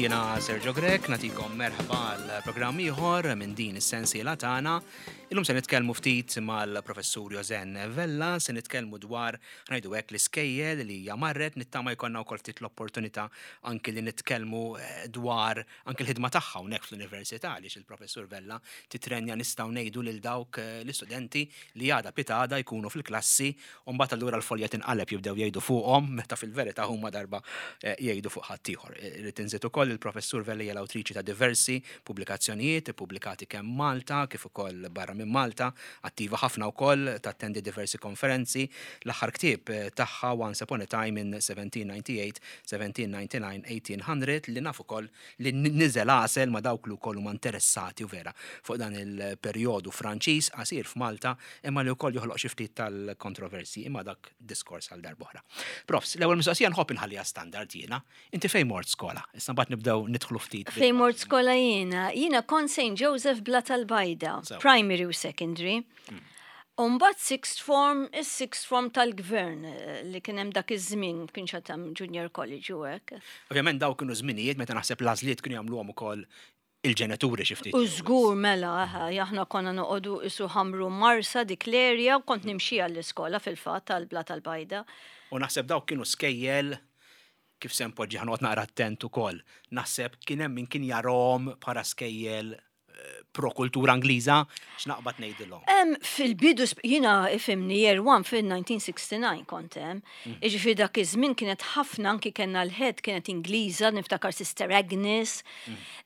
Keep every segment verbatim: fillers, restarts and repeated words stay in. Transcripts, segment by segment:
Jiena Sergio Grech, nagħtikom merħba għal programm ieħor minn din is-sensiela tagħna. Illum se nitkellmu ftit mal-professur Josen Vella, se nitkellmu dwar, ngħidu hekk, l-iskejjel li hija marret. Nittama jkollna wkoll ftit l-opportunità anki li nitkellmu eh, dwar anki l-ħidma tagħha hawnhekk fl-università, għaliex il-professur Vella titrenja, nistgħu ngħidu, lil dawk eh, l-istudenti li għada pitgħada jkunu fil-klassi u mbagħad allura l-folja tinqaleb, jibdew jgħidu fuqhom meta fil-verità huma darba eh, jgħidu fuq ħaddieħor. Irrid inżid ukoll, il-professur Vella hija l-awtriċi ta' diversi pubblikazzjonijiet ippubblikati kemm Malta kif ukoll barra minn Malta, attiva ħafna wkoll, tattendi diversi konferenzi. L-aħħar ktieb eh, tagħha, Once Upon a Time in seventeen ninety-eight, seventeen ninety-nine, eighteen hundred, li naf ukoll li niżel għasel ma' dawk li wkoll huma interessati u vera fuq dan il-perjodu Franċiż qasir f'Malta, imma li wkoll joħloq xi ftit tal-kontroversi, imma dak diskors għal darb'oħra. Profs, l-ewwel mistoqsija nħobb inħalliha standard jiena. Inti fejn mort skola? Issa mbagħad nibdew nidħlu ftit. Fejn mort skola jiena? Jiena kont Saint Joseph Blata l-Bajda, Sew. primary u secondary. U mbagħad sixth form, is-sixth form tal-gvern eh, li kien hemm dak iż-żmien, kienx għad hemm junior college u hekk. Ovvjament daw kienu żminijiet meta naħseb l-għażliet kienu jagħmluhom ukoll il-ġenituri xi ftit. U żgur, mela, aha, aħna konna noqogħdu isu Ħamrun, Marsa, dik l-area, u kont nimxi għall-iskola fil-fatt tal-Blata l-Bajda. U naħseb dawk kienu skejjel, kif se npoġġi, ħa noqgħod naqra attent ukoll. Naħseb kien hemm min kien jarahom bħala skejjel eh, pro-kultura Ingliża, x'naqbad ngħidilhom. Em, fil-bidu, sp- jiena ifhimni year one fil-elf disa' mija u sitta u disgħin kont hemm. Iġifieri dak iż-żmien kienet ħafna, anki kellna l-head kienet Ingliża, niftakar Sister Agnes.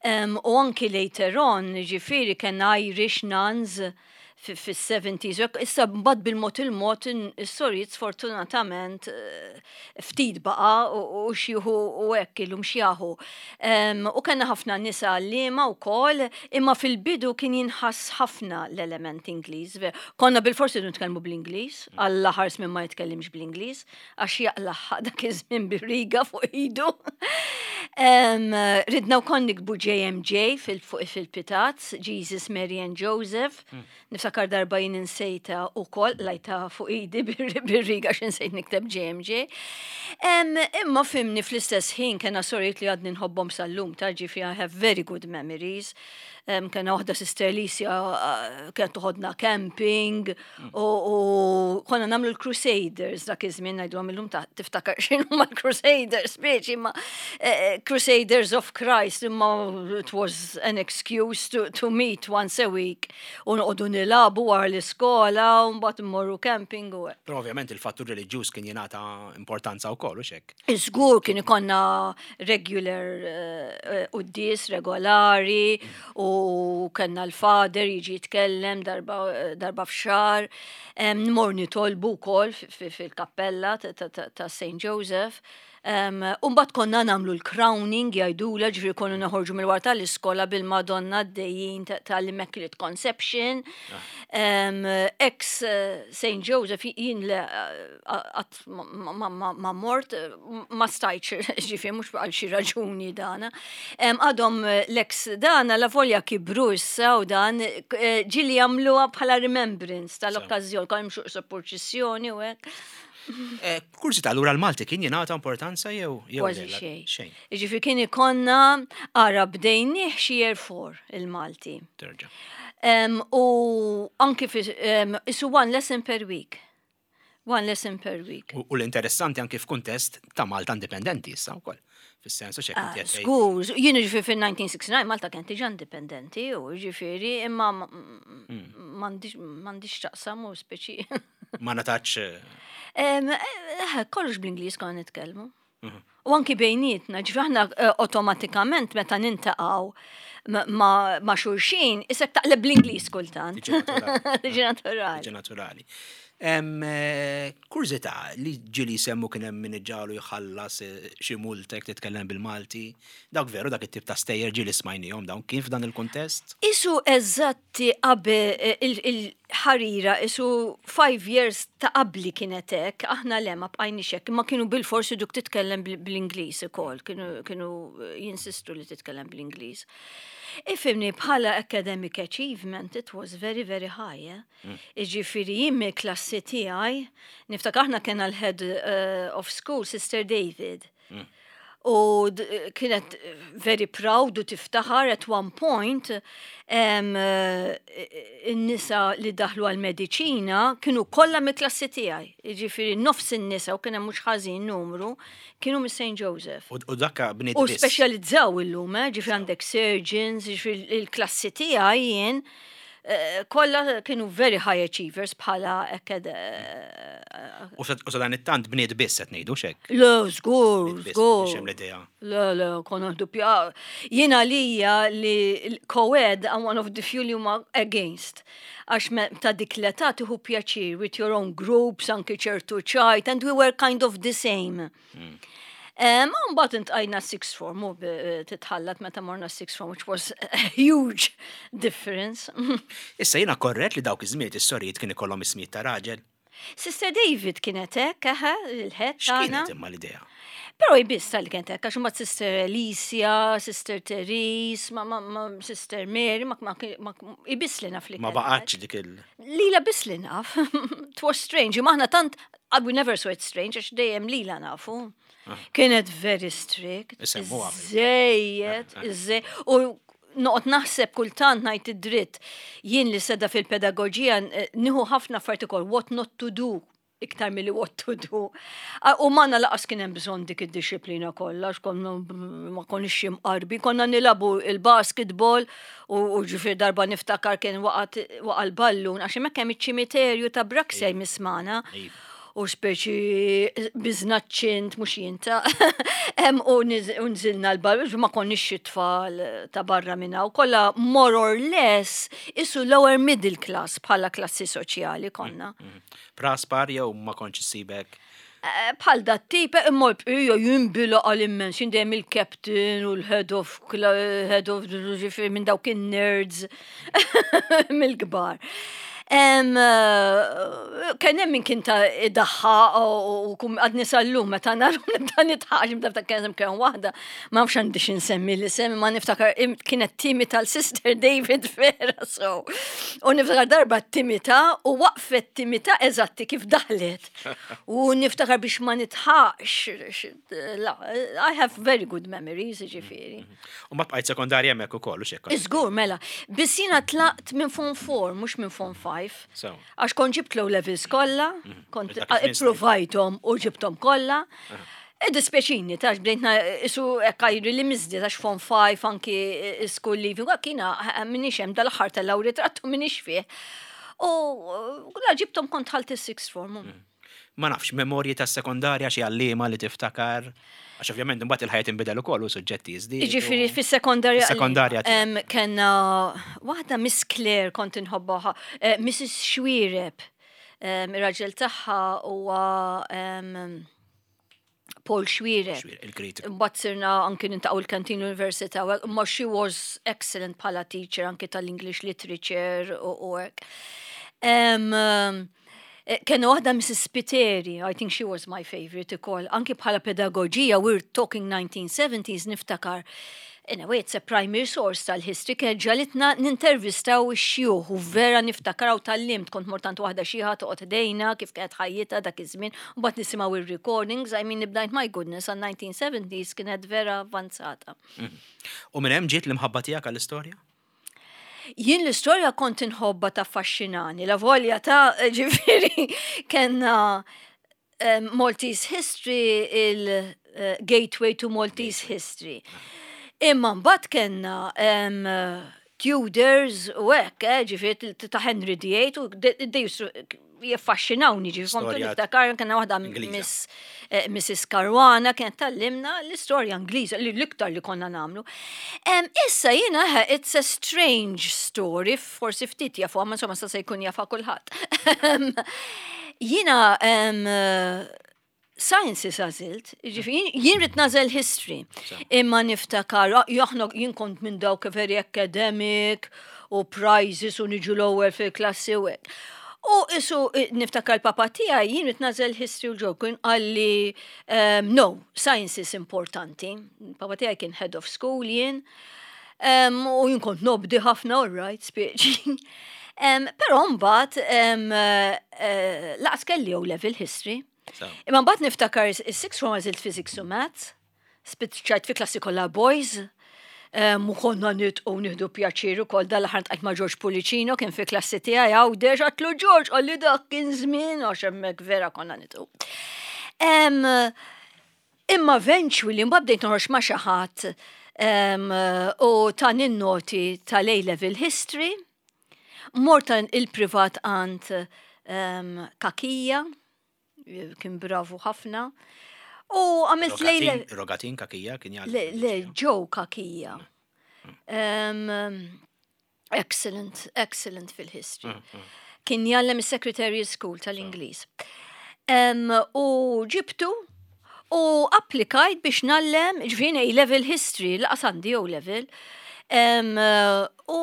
Em, u anki later on, ġifieri kellna Irish nuns fis-seventies. Issa mbagħad bil-mod il-mod is-sorijiet sfortunatament eh, ftit baqa u u xieħu u hekk illum xjaħu. Em, U kellna ħafna nisa għalliema wkoll, imma fil-bidu kien jinħass ħafna l-element Ingliż. Ver- Konna bil-forsi nitkellmu bl-Ingliż, Alla ħares minn ma jitkellimx bl-Ingliż, għax jaqlaħ dak iż-żmien bir-riga fuq idu. Em, Ridna wkoll niktbu J M J fil- fuq fil-pitazz, Jesus, Mary and Joseph. Niftakar darba jien insejta ukoll, qlajtha fuq idi bir- bir-riga għax insejt nikteb J M J. Em, Imma fhimni, fl-istess ħin kellna sorijiet li għadni nħobbhom sal-lum, ta' ġifieri I have very good memories. Um, kellna waħda, Sister Alicia, uh, kienet toħodna camping u, u konna nagħmlu l-Crusaders dak iż-żmien, ngħidu illum ta' tiftakar x'inhu ma l-Crusaders speċi, imma eh, Crusaders of Christ, imma it was an excuse to, to meet once a week u noqogħdu nilagħbu wara l-iskola u mbagħad immorru camping u hekk. Però ovvjament il-fattur reliġjuż kien jingħata importanza wkoll u xek. Żgur, kien ikollna regular uh, quddies regolari u kellna l-father jiġi jitkellem darba, darba f'xahar. Um, Nmur nitolbu wkoll fi- fi- fil-kappella ta' ta' ta' ta' Saint Joseph. Um, Umbat konna nagħmlu l-crowning jgħidula, ġifieri konna noħorġu mill-wara tal-iskola bil-Madonna d-dejjin tal-Immaculate Conception. Um, ex eh, Saint Joseph jien le għat ma, ma, ma, ma mort, eh, ma stajtx, ġifieri mhux għal xi raġuni dana. Em, Għadhom eh, l-ex dana la volja kibru issa u dan eh, ġieli jagħmluha bħala remembrance tal-okkażjoni, konna nimxu purċissjoni u hekk. Eh, Kurżità, allura l-Malti kien jingħata importanza jew jew Kważi le? xejn. Xejn. Ġifieri kien ikollna, ara, bdejnieh xi year four il-Malti. Terġa'. Um, u anki fi, um, isu one lesson per week. One lesson per week. U u l-interessanti anki f'kuntest ta' Malta indipendenti issa wkoll. Fis-sensu xek Ah, inti qed tgħid. Żgur, jiena ġifieri fil-elf disa' mija u sitta u disgħin Malta kien diġà indipendenti u ġifieri imma m'għandix m'għandix taqsam u speċi. Ma natax Em, eh, Kollox bl-Ingliż konna nitkellmu. U anki bejnietna, ġifieri aħna eh, automatikament meta niltaqgħu ma- ma ma' xulxin, isek taqleb bl-Ingliż kultant. Tiġi naturali. Tiġi naturali. Tiġi naturali. Em, eh, Kurżità, li ġieli semmu kien hemm min iġagħlu jħallas eh, xi multa jekk titkellem bil-Malti. Dak veru, dak it-tip ta' stejjer ġieli smajnihom dawn, kien f'dan il-kuntest? Isu eżatti qabel eh, il- il-ħarira, isu five years ta' qabli kienet hekk, aħna le ma bqajniex hekk, ma kienu bil-forsi duk titkellem bil- bl-Ingliż ukoll, kienu, kienu eh, jinsistu li titkellem bl-Ingliż. Ifhimni, bħala academic achievement, it was very, very high. Eh? Iġifieri jien mill-klassi tiegħi, niftakar aħna kellna l-head uh, of school, Sister David. U d- kienet very proud u tiftaħar. At one point em, eh, in-nisa li daħlu għal-mediċina kienu kollha mill-klassi tiegħi. Jiġifieri nofs in-nisa, u kien hemm mhux ħażin numru, kienu mis Saint Joseph. U u dakka bniet U biss. Speċjalizzaw illum, eh, ġifieri għandek surgeons, ġifieri il-klassi tiegħi jien eh, kollha kienu very high achievers bħala akked. U sa u sa dan it-tant bniet biss qed ngħidu xek. Le, żgur, Bniet biss, żgur. biex hemm l-idea. Le, le, konna dupja. Jiena lija li co-ed, I'm one of the few li huma against. Għax me- ta' dik l-età tieħu pjaċir with your own groups, anki ċertu ċajt, and we were kind of the same. Um, Mbagħad iltqajna sixth form u b- titħallat meta morna sixth form, which was a huge difference. Issa jiena korrett li dawk iż-żmiet is-sorijiet kien ikollhom ismijiet ta' raġel? Sister David kienet hekk, eħe, il-head tagħna. X'kienet imma l-idea? Però jbiss tal kienet hekk, għax imbagħad Sister Alicia, Sister Therese, ma, ma, ma Sister Mary, ma, ma, ma ibiss li naf li Ma kienet baqgħetx dik il- Lila biss li naf. It was strange. Maħna tant, uh, we never saw it strange, għax dejjem lila nafu. Kienet very strict. Isemmuha. Żejjed, iżejjed. U noqgħod naħseb kultant ngħid id-dritt. Jien li seda fil-pedagogija eh, nieħu ħafna affarijiet ukoll what not to do iktar milli what to do. Ah, u magħna lanqas kien hemm bżonn dik id-disciplina kollha, għax konna ma konniex imqarbi, konna nilagħbu il-basketball u u ġifier darba niftakar kien waqat waqa l-ballun, għax hemmhekk hemm iċ-ċimiterju ta' Braxia jmismana. Iva. U speċi biznaċċint, mux jinta. Em, U niz- u nżilna l-ballun, ma konniex xi tfal ta' barra minna. U kollha more or less isu lower middle class bħala klassi soċjali konna. Praspar jew ma kontx issibek? Eh, Bħal dat tip, imma l-bqija jimbila għal-immens, jien dejjem il-captain u l-head of, head of, ġifieri minn dawk il-nerds mill-kbar. Em, eh, Kien hemm min kien ta' idaħħa u u kum għadni sal-lum meta naru nibda nidħaq, nibda kien hemm kien waħda, ma nafx għandi x'insemmi l-isem, ma niftakar im- kienet timita l-Sister David vera so. U niftakar darba timita u waqfet timita eżatti kif daħlet. U niftakar biex ma nidħaqx, la, I have very good memories, ġifieri. U ma bqajt sekondarja hemmhekk ukoll u xekk. Iżgur, mela, biss jiena tlaqt minn Form four, mhux minn Form five. So. Għax kont ġibt low levels kollha, kont Dak iż-żmien ipprovajthom u ġibthom kollha. Dispjaċini, tax bdejtna isu ekkajri li mizdi, tax Form five anki school leaving, kiena minix hemm dal-aħħar tal-lawritrattu minix fih. U la ġibthom kont ħalt is-sixth form. Ma nafx, memorji tas sekondarja, xi għalliema li tiftakar? Għax ovvjament imbagħad il-ħajja tinbidel ukoll u suġġetti jiżdiedu. Ġifieri fis-sekondarja. Fis-sekondarja tiegħek. Em, Kenna waħda Miss Claire kont inħobbaha, eh, Missus Xwireb, em, ir-raġel tagħha huwa em, Paul Xwireb. Xwireb, il-kritiku. Mbagħad sirna anki niltaqgħu l-kantin l-università, u imma she was excellent bħala teacher anki tal-English literature u u hekk. Em, em, eh, Kena waħda Missus Spiteri, I think she was my favorite ukoll, anki bħala pedagogija, we're talking nineteen seventies, niftakar. In a way, it's a primary source tal-history, kien ġagħlitna nintervistaw ix-xjuħ u vera niftakar u tgħallimt, kont mortant waħda xiħa toqgħod ħdejna kif kienet ħajjitha dak iż-żmien, u mbagħad nisimgħu ir-recordings, I mean, nibdajt, my goodness, għal nineteen seventies kienet vera avvanzata. U minn hemm ġiet l-imħabba tiegħek għall-istorja? Jien l-istorja kont inħobba, ta' affaxxinani, la volja ta' ġifieri kena um, Maltese History, il-Gateway to Maltese History. Imma mbagħad kellna um, Tudors u hekk, eh, ġifieri ta' Henry the Eighth u de- de used to jaffaxxinawni, ġifieri kont Storja niftakar kellna waħda Ingliża. Miss eh, Missus Caruana kienet tgħallimna l-istorja Ingliża li l-iktar li konna nagħmlu. Em, issa jiena eh, it's a strange story, forsi ftit jafu, ma insomma sa se jkun jafa kulħadd. Em, Jiena em, eh, sciences għażilt, ġifieri jien ridt nagħżel history. Imma niftakar, ah, jaħna jien kont minn dawk very academic u prizes u niġu l-ewwel fil-klassi u hekk. U isu eh, niftakar l-papa tiegħi, jien ridt nagħżel history u ġo, kien qalli um, no, sciences importanti. Papa tiegħi kien head of school jien. Um, u jien kont nobdi ħafna, all right, speċi. Um, Però mbagħad um, uh, lanqas kelli O level history. So. Imma mbagħad niftakar is-sixth form għażilt physics u maths. Spiċċajt fi klassi kollha boys. Um, u konna nidħku nieħdu pjaċir ukoll. Dal-aħħar ltqajt ma' George Pulicino, kien fi klassi tiegħi Għawdex, għedtlu, "George," qalli, "dak kien żmien," għax hemmhekk vera konna nidħku. Um, imma eventually mbagħad bdejt noħroġ ma' xi ħadd um, u tani n-noti tal-A-level history. Mort il-privat għand um, Kakija, kien bravu ħafna. U għamilt l-A-level. Rogatin Kakija kien jgħallem? Le, le, Joe Kakija. Um, excellent, excellent fil-history. Kien jgħallem il-Secretariat School tal-Ingliż. Um, u ġibtu u applikajt biex ngħallem, ġifieri A-level history, lanqas għandi O-level. Um, u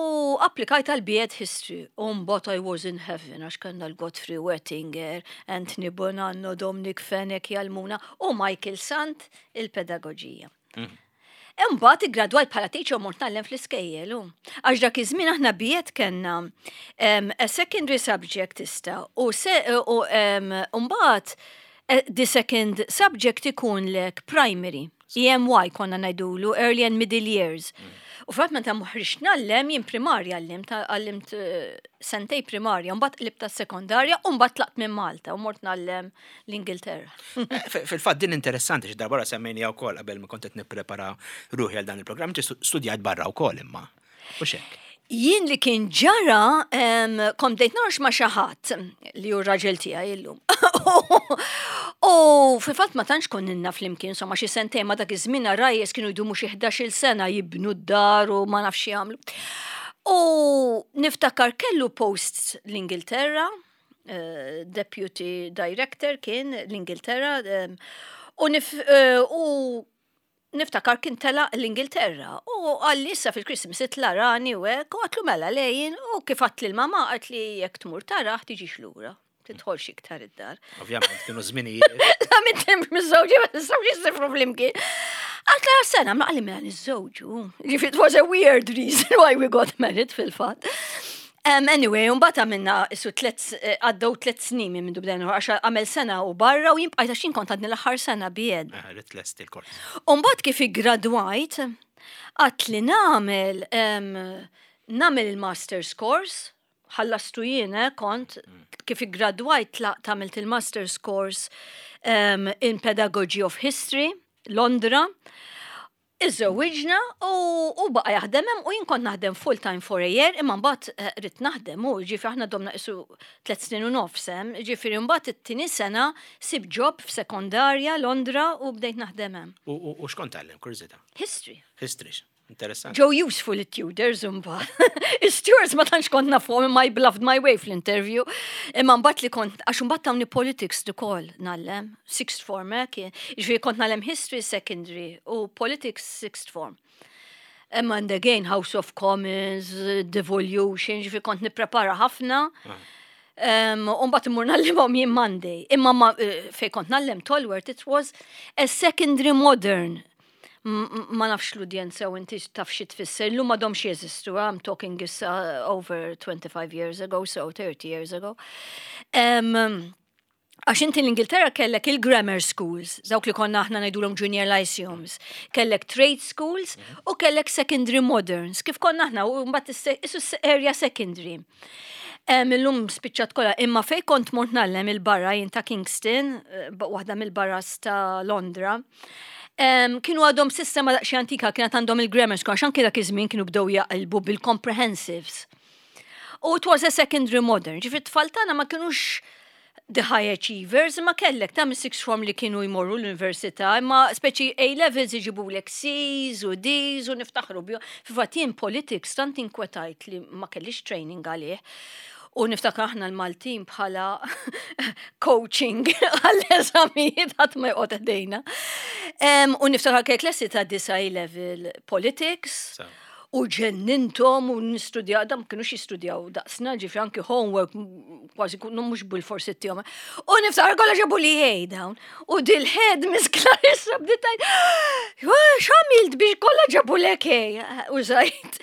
applikajt għal B Ed History. U mbagħad I was in heaven, għax kellna l-Godfrey Wettinger, Anthony Bonanno, Dominic Fenech jgħallmuna u Michael Sant il-pedagogija. Imbagħad iggradwajt bħala teacher u mort ngħallem fl-iskejjel. u. Għax dak iż-żmien aħna B Ed kellna um, a secondary subject tista' u se u um, mbagħad eh, the second subject ikun lek primary. E M Y konna ngħidulu, early and middle years. U fatt meta ħriġt ngħallem jien primarja għallimt, għallimt eh, sentejn primarja, mbagħad qlibt sekondarja u mbagħad tlaqt minn Malta u mort ngħallem l-Ingilterra. Eh, Fil-fatt din interessanti xi darba semmejni wkoll qabel ma kont qed nipprepara ruħi għal dan il-programm, inti studjat barra wkoll imma. U xek. Jien li kien ġara, em, kont bdejt noħroġ ma' xi ħadd li hu raġel tiegħi illum. U fil-fatt ma tantx konna flimkien, insomma xi sentejn, ma dak iż-żmien għarajjes kienu jdumu xi ħdax-il sena jibnu d-dar u ma nafx jagħmlu. U niftakar kellu post l-Ingilterra, eh, deputy director kien l-Ingilterra, em, u nif, eh, u niftakar kien tela l-Ingilterra u qalli issa fil-Christmas itla' arani u hekk, u għedtlu mela lejn, u kif għedt lill-mama, qaltli jekk tmur tara tiġix lura, tidħolx iktar id-dar. Ovvjament kienu żminijiet. La minn temp miż-żewġi, ma nistgħux jissifru flimkien. Għedtlu sena, ma qalli mela niżżewġu. Ġifieri it was a weird reason why we got married fil-fatt. Um, anyway, mbagħad għamilna isu tlet, eh, għaddew tlet snin minn mindu bdejna, għax għamel sena u barra u jien bqajt għax jien kont għadni l-aħħar sena B Ed. Eh, Ridt tlesti l-kors. Umbagħad kif iggradwajt, għedt li nagħmel um, nagħmel il-master's course, ħallastu jien, eh, kont, kif iggradwajt tlaqt għamilt il-master's course um, in Pedagogy of History, Londra. Iżżewwiġna u, u baqa jaħdem hemm u jien kont naħdem full time for a year, imma mbagħad eh, ridt naħdem u ġifieri aħna domna isu tliet snin u nofs hemm, ġifieri mbagħad it-tieni sena sibt job f'sekondarja Londra u bdejt naħdem hemm. U u- u x'kont tgħallem, kurżità? History. History. Interessanti. Ġew useful it-Tudors imbagħad. Is-Stuarts ma tantx kont nafhom, imma I bluffed my way fl-interview. Imma mbagħad li kont, għax mbagħad tawni politics ukoll ngħallem, sixth form eh, kien. Ġifieri kont ngħallem history secondary u politics sixth form. Imma and again House of Commons, devolution, ġifieri kont nipprepara ħafna. Um, Umbagħad immur ngħallimhom jien Monday. Imma ma, eh, fej kont ngħallem Tolworth, it was a secondary modern. M- m- Ma nafx l-udjenza u inti taf xi tfisser. Illum m'għadhomx jeżistu, I'm talking issa over twenty-five years ago, so thirty years ago. Um, Għax inti l-Ingilterra kellek il-grammar schools, dawk li konna aħna ngħidulhom junior lyceums, kellek trade schools u kellek secondary moderns, kif konna aħna u mbagħad isse- isu s- area secondary. Em, Illum spiċċat kollha, imma fej kont mort ngħallem il-barra jien ta' Kingston, eh, waħda mill-boroughs ta' Londra. Em, kienu għadhom sistema daqsxejn antika, kienet għandhom il-grammar school, għax anke dak iż-żmien kienu bdew jaqilbu bil-comprehensives. U it was a secondary modern, ġifieri tfal tagħna ma kienux the high achievers, imma kellek ta' sixth form li kienu jmorru l-università, imma speċi A-levels iġibulek C's u D's u niftaħru bihom. Fil-fatt jien politics tant inkwetajt li ma kellix training għalih. U niftakar aħna l-Maltin bħala coaching għall-eżamijiet ħadd ma joqgħod ħdejna. Em, U niftakar kellek klassi ta' disa level politics. So. U ġennintom u nistudjaw, dam kienu jistudjaw daqsna, ġifieri anki homework, m- kważi kunu mhux bil-forsi tijom. U niftakar kollha ġabu li A dawn. U dil-head Miss Clarissa bdiet tgħid, "X'għamilt biex kollha ġabu lek A?" Użajt.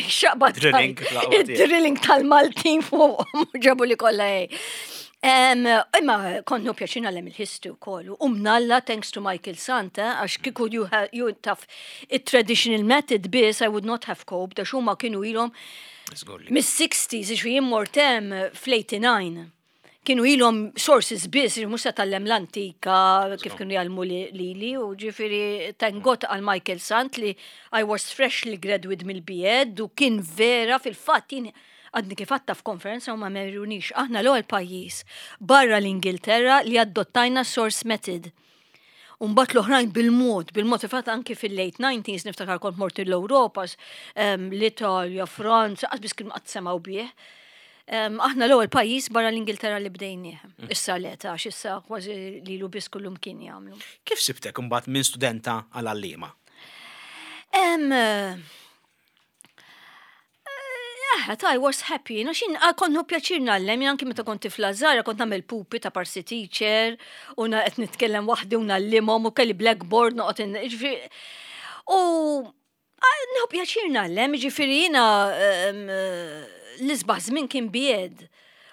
Xaqbat. Drilling, l-aqwa tiegħek. Drilling tal-Maltin fuq ġabu li kollha A. Em, Imma kont nieħu pjaċir ngħallem il-history u kollu. U mnalla, thanks to Michael Sant, għax kieku you, ha- you taf il-traditional method biss, I would not have coped, għax huma kienu ilhom Żgur li. mis-sixties, ġifieri jien mort hemm fl-eighty-nine. Kienu ilhom sources biss, ġifieri mhux se tgħallem l-antika, kif kienu jgħallmu li li, u ġifieri thank God għal Michael Sant li I was freshly graduate mill-B Ed u kien vera. Fil-fatt jien għadni kif għedtha f'konferenza u ma merunix. Aħna l-ewwel pajjiż barra l-Ingilterra li adottajna source method. Umbagħad l-oħrajn bil-mod, bil-mod, fatt anki fil-late nineties niftakar kont mort l-Europa, l-Italja, Franza, qas biss kienu qatt semgħu bih. Em, Aħna l-ewwel pajjiż barra l-Ingilterra li bdejnieh. Issa le ta' issa kważi li lu biss kullum kien jagħmlu. Kif sibtek imbagħad minn studenta għal għallima? Em, eh, eh, I was happy. Na xin, ah, kont nieħu pjaċir ngħallem, jien anki meta kont tifla żgħira, kont nagħmel pupi ta' parsi teacher, u na qed nitkellem waħdi u ngħallimhom u kelli blackboard noqgħod in- ġifieri. U ah, nieħu pjaċir ngħallem, ġifieri jiena em, eh, l-isbaħ żmien kien B Ed.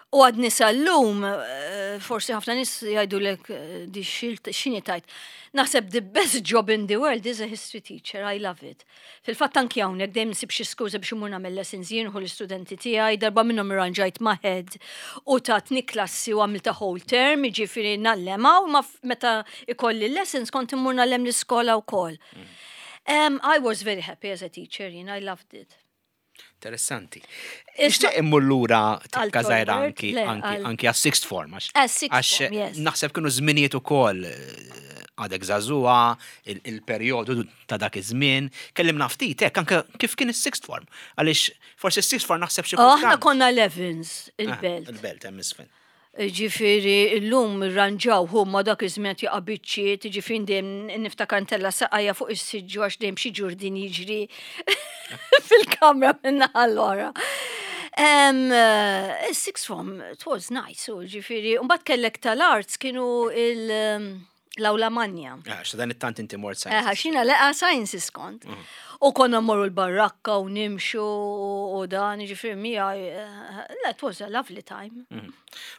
U għadni sal-lum, eh, forsi ħafna nies jgħidulek eh, di xilt xini tajt. Naħseb the best job in the world is a history teacher, I love it. Fil-fatt anki hawnhekk dejjem nsib xi skuża biex imur nagħmel lessons jien u l-istudenti tiegħi, darba minnhom irranġajt ma' head u tatni klassi u għamilta whole term, jiġifieri ngħallem u ma f- meta ikolli lessons kont immur ngħallem l-iskola wkoll. Um, I was very happy as a teacher, you know, I loved it. Interessanti. Isma- Nixtieq immur lura tikka Għal żgħira Tolbert? anki Le, anki għal- anki għas sixth form għax Għas sixth għax form, yes. naħseb kienu żminijiet ukoll eh, għadek żagħżugħa, il- il-perjodu ta' dak iż-żmien. Kellimna ftit hekk anke kif kien is-sixth form. Għaliex forsi is-sixth form naħseb xi Oh, aħna kultant- konna Levins, Ah, il-Belt. Il-Belt hemm isfel. Ġifieri, l-lum ranġaw huma, dak iż-żmien jaqa' biċċiet, ġifieri dejjem niftakar ntella' saqajja fuq is-siġġu għax dejjem xi ġurdin jiġri fil-kamra minna allora. Um, uh, sixth form, it was nice, u ġifieri, mbagħad kellek tal-arts kienu il- um, l-Awla Manja. Għax dan it-tant inti mort Eh, sciences. Xina leqa sciences kont. U konna mmorru l-barrakka u nimxu u dan, ġifieri mija, eh, it was a lovely time.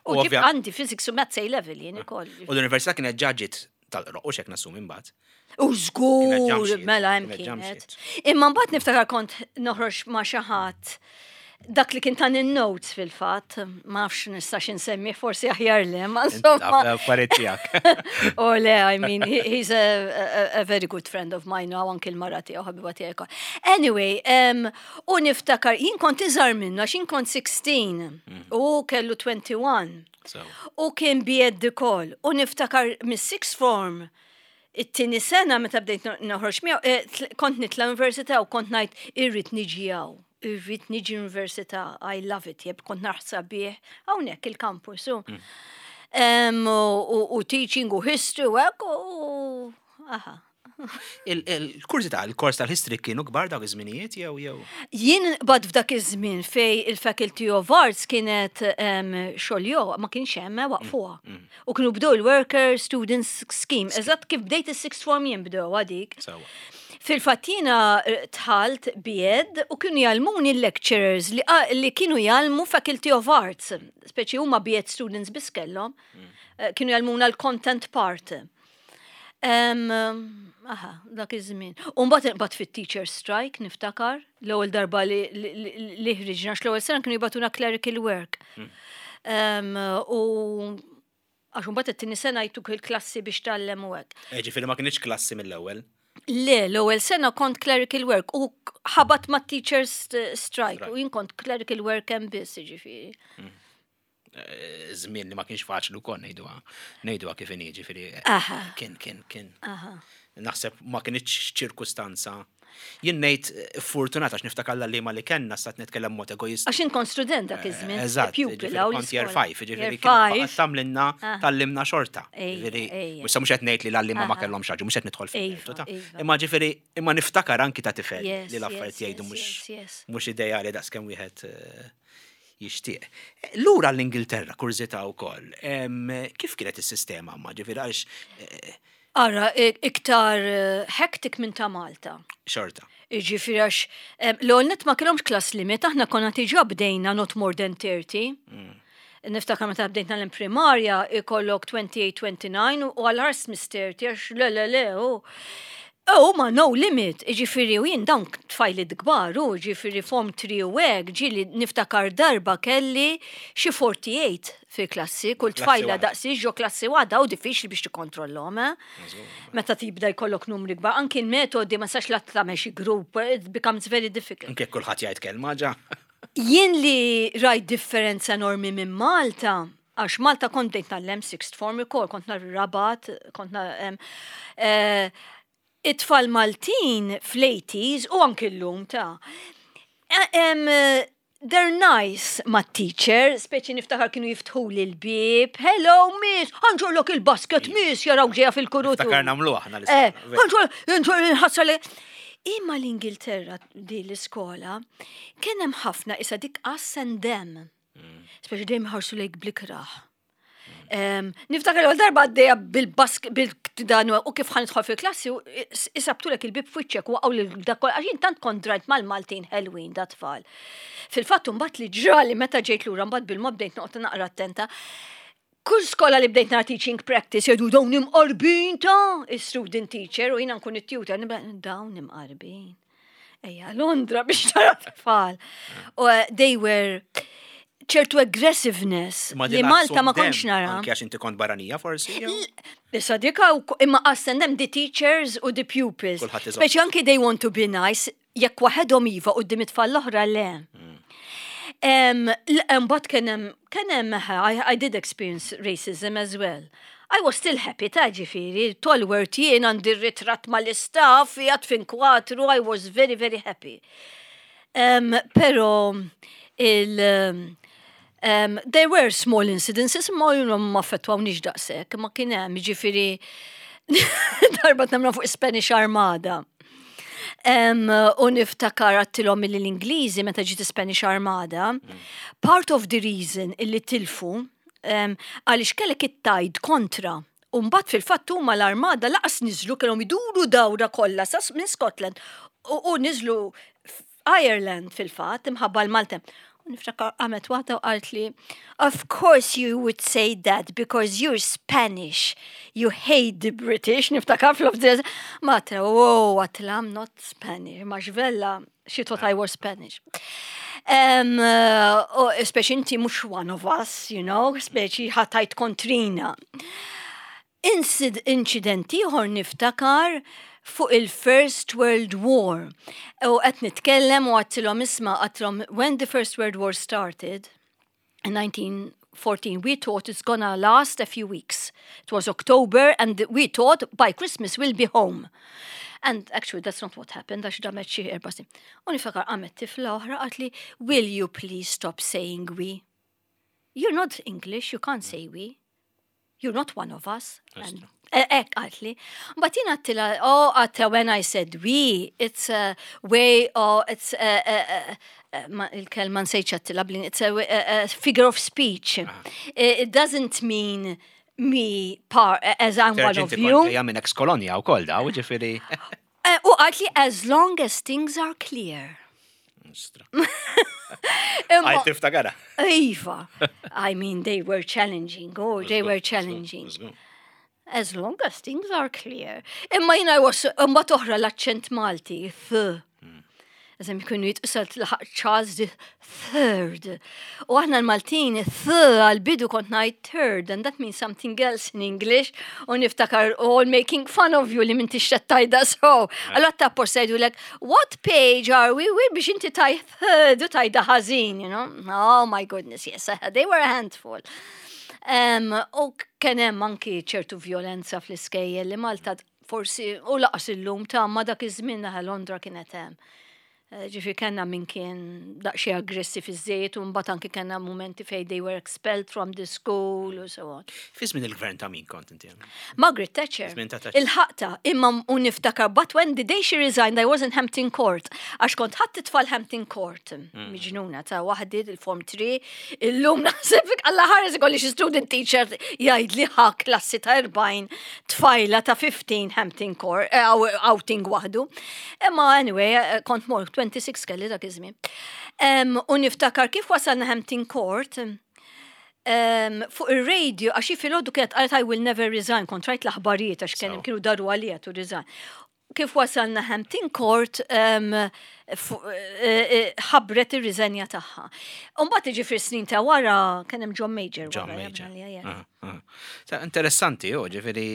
U U ġib ovvja- għandi physics u maths A level jien ukoll. U l-università kienet ġaġit tal-roq u xek nassum imbagħad. U Kienet żgur, ġamxiet, mela hemm kienet kienet. ġamxiet. Imma mbagħad niftakar kont noħroġ ma' xi ħadd dak li kien tan in-notes fil-fatt, ma nafx nistax insemmi, forsi aħjar le, ma insomma. Affarijiet tiegħek. Oh le, I mean, he, he's a, a, a very good friend of mine now, anki l-mara tiegħu ħabiba tiegħu. Anyway, um, u niftakar, jien kont iżgħar minnu, għax jien kont sittax u kellu wieħed u għoxrin. So. U kien B Ed ukoll. U niftakar mis-sixth form, it-tieni sena meta bdejt no- noħroġ miegħu, eh, tl- kont nitla' università u kont ngħid irrid niġi hawn. Irrid niġi università, I love it, jeb kont naħseb bih hawnhekk il-campus. U, Em, u, u, u teaching u history u hekk u aha. Il-kurżità, il-kors tal-history kienu kbar dawk iż-żminijiet jew jew. Jien bad f'dak iż-żmien fej il-Faculty of Arts kienet um, xoljo, ma kienx hemm, waqfuha. U kienu bdew il-Worker Students Scheme. Eżatt kif bdejt is-sixth form jien bdew għadik. Sewwa. Fil-fatt jiena eh, dħalt B Ed u kienu jgħallmuni l-lecturers li, ah, li kienu jgħallmu Faculty of Arts, speċi huma B Ed students biss kellhom, eh, kienu jgħallmuna l-content part. Um, aha, dak iż-żmien. U mbagħad mbagħad fit-teacher strike niftakar, l-ewwel darba li li- li ħriġna, għax l-ewwel sena kienu jibagħtuna clerical work. Um, u għax mbagħad it-tieni sena jtuk il-klassi biex tgħallem u hekk. Eh, Ġifieri ma kienx klassi mill-ewwel. Le, l-ewwel sena kont clerical work u ħabat ma' teachers strike Strike. U jien kont clerical work hemm biss, ġifieri. Eh, Żmien li ma kienx faċli wkoll ngħiduha ngħiduha kif inhi, ġifieri. eh, Aha. Kien kien kien. Aha. Naħseb ma kienx ċirkustanza. Jien ngħid eh, fortunata għax niftakar li ma li kellna stat nitkellem mod egoist. Għax jien kont student dak iż-żmien. Eżatt, pupil ġifieri hawn kont year l-iskola. five, ġifieri Year kien five. tgħallimna Ah. tgħallimna xorta. Ejja, Ġifieri, ejja. issa mhux qed ngħid li l-għalliema ma Aha. kellhomx raġun, mhux qed nidħol Iva, fil ta' iva. Imma ġifieri imma niftakar anki ta' tifel Yes, li l-affarijiet yes, jgħidu yes, mhux yes, yes. mhux ideali daqs kemm wieħed eh, jixtieq. Lura l-Ingilterra, kurżità wkoll. Em, Kif kienet is-sistema ma ġifieri għaliex eh, Ara, i- iktar eh, hectic minn ta' Malta. Xorta. Ġifieri għax, em, l-ewwel nett ma kellhomx class limit, aħna konna diġà bdejna not more than thirty. Niftakar meta bdejt l-primarja ikollok twenty-eight, twenty-nine u għal-ħars mister għax le le le u. U ma no limit, ġifieri u jien dawn tfajliet kbar, u ġifieri form three u hekk, ġieli niftakar darba kelli xi forty-eight fi klassi, kull Klassi tfajla waħda. Daqsi ġo klassi waħda u diffiċli biex tikkontrollhom, eh? Meta tibda jkollok numri kbar, anki l-metodi ma sax la tagħmel xi group, it becomes very difficult. Anke kulħadd jgħid kelma ġa. Jien li rajt differenza enormi minn Malta, għax Malta kont bdejt ngħallem sixth form ukoll, kont nar Rabat, kont nar em, eh, it-tfal Maltin fl-eighties u anki l-lum ta' eh, em, eh, they're nice ma' teacher, speċi niftakar kienu jiftħu li l-bib, "Hello miss, ħa nġorrlok il-basket miss," jaraw ġeja fil-kurutur. Niftakar nagħmlu aħna Eh, l-iskola. ħa nġorr, nġorr nħassar li. Imma l-Ingilterra di l-iskola kien hemm ħafna isa dik us and them. Speċi dejjem ħarsu lejk bl-ikrah. Em, Niftakar l darba għaddeja bil-bask, bil-dan u kif ħa nidħol fil-klassi, u is- isabtulek il-bib f'wiċċek u għaw l-dakol, għax jien tant kont drajt mal-Maltin ħelwin da tfal. Fil-fatt mbagħad li ġrali meta ġejt lura mbagħad bil-mod bdejt noqgħod naqra attenta. Kull skola li bdejt nara teaching practice jgħidu dawn imqarbin ta' student teacher u jiena nkun it-tutor, nibda dawn imqarbin. Ejja, Londra biex tara tfal. U uh, they were ċertu aggressiveness Ma li din Malta ma us and kontx them, nara. anke għax inti kont barranija forsi, jew? Issa dika u imma us and them, the teachers u the pupils. Kulħadd iżomm. Speċi anki they want to be nice, jekk waħedhom iva u it-tfal l-oħra le. Um, Mbagħad kien hemm kien hemm I, I did experience racism as well. I was still happy ta' ġifieri, Tolworth jien għandi ritratt mal-istaff, jgħat fin kwatru, I was very, very happy. Um, pero il um, um, there were small incidences, ma you know, ma affettwawnix daqshekk, ma kien hemm ġifieri darba tnamna fuq Spanish Armada. Um, u niftakar għedtilhom illi l-Ingliżi meta ġiet Spanish Armada, part of the reason illi tilfu um, għaliex kellek it-tide kontra. U mbagħad fil-fatt huma l-armada lanqas niżlu, kellhom iduru dawra kollha sas minn Scotland u, u niżlu Ireland fil-fatt imħabba l-Malta. U niftakar qamet waħda u qalt li, "Of course you would say that because you're Spanish. You hate the British," niftakar fl Matra, "Whoa," għedtilha, "I'm not Spanish." Ma xvella, she thought I was Spanish. Um, uh, u speċi inti mhux one of us, you know, speċi ħa tgħid kontrina. Insid incident ieħor niftakar fuq il-First World War. U qed nitkellem u għedtilhom isma', għedtilhom when the First World War started in nineteen fourteen, we thought it's gonna last a few weeks. It was October and we thought by Christmas we'll be home. And actually that's not what happened, għax damet xi erba' snin. U niftakar qamet tifla oħra qaltli, "Will you please stop saying we? You're not English, you can't say we. You're not one of us." And hekk qaltli. But jien għedtilha, oh, għedtilha, when I said we, it's a way, oh, it's a, a, a, a, ma- il-kelma nsejt għedtilha, blin, it's a, a, a figure of speech. It, it doesn't mean me par, as I'm one of you. Ġeja minn ex-kolonja u koll da, u ġifieri. Eh, U qaltli, "As long as things are clear." Ostra. Imma- Għaj tiftakara. Iva, I mean, they were challenging, oh, they were challenging. "As long as things are clear." Imma jina was, imma toħra l-aċċent Malti, th. Eżem jkunu jitqisal laħaq Charles the Third. U aħna l-Maltin, th għal-bidu kont ngħid third, and that means something else in English. U niftakar all making fun of you li m'intix tgħidha so. Allora ta' jgħidu like, "What page are we with?" biex inti tgħid third u tgħidha ħażin, you know? Oh my goodness, yes, they were a handful. Um, u kien hemm anki ċertu violenza fl-iskejjel li Malta forsi u lanqas illum ta' ma dak iż-żmien naħa Londra kienet hemm. Eh, Ġifi kellna min kien daqsxejn aggressiv iż-żejt u mbagħad anki kellna momenti fejn they were expelled from the school u so on. Fi żmien il-gvern ta' min kont inti? Margaret Thatcher. Żmien ta' Thatcher. Il-ħaqta, imma u niftakar, but when the day she resigned, I was in Hampton Court. Għax kont ħadt it-tfal Hampton Court. Miġnuna ta' waħdi il-Form three, illum naħseb Alla ħares ikolli xi student teacher jgħid li ħa klassi ta' erbgħin tfajla ta' fifteen Hampton Court, eh, outing waħdu. Imma anyway, eh, kont mor twenty-six kelli dak iż-żmien. Em, U niftakar kif wasalna Hampton Court, Um, fuq il-radio, għax filgħodu kienet qalet "I will never resign", kont rajt l-aħbarijiet għax kien kienu daru għalija to resign. Kif wasalna Hampton Court, um, ħabbret ir-riżenja tagħha. Umbagħad ġifieri snin ta' wara kien hemm John Major. John Major. Interessanti, jo, ġifieri,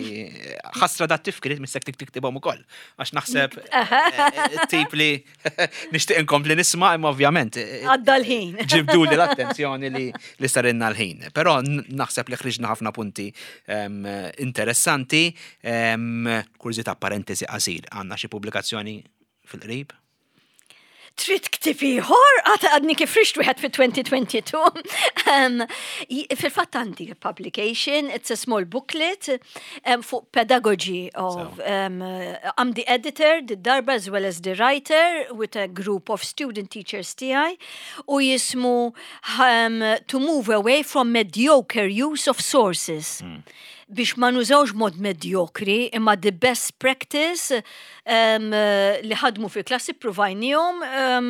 ħasra da tifkiriet missek tiktibhom ukoll. Għax naħseb eh, tip li nixtieq inkompli nisma' imma ovvjament. Eh, Għadda l-ħin. Ġibdu li l-attenzjoni li li sarinna l-ħin. Però naħseb li ħriġna ħafna punti interessanti. Kurżità, parentesi qasir, għandna xi pubblikazzjoni fil-qrib? Trid ktieb ieħor, għata għadni kif ħriġt wieħed fi elfejn u tnejn u għoxrin. Um, Fil-fatt għandi publication, it's a small booklet um, fuq pedagogy of, um, I'm the editor, the darba as well as the writer with a group of student teachers tiegħi u jismu um, "To Move Away from Mediocre Use of Sources". Mm biex ma nużawx mod medjokri, imma the best practice um, li ħadmu fil-klassi provajnijom um,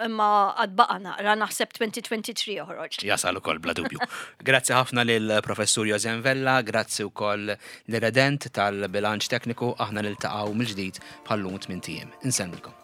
imma għad baqa' naqra, naħseb elfejn u tnejn u għoxrin joħroġ. Jasal ukoll bla dubju. Grazzi ħafna lil professur Josen Vella, grazzi wkoll l-redent tal-bilanċ tekniku, aħna niltaqgħu mill-ġdid bħal-lum tmint ijiem. Insellmilkom.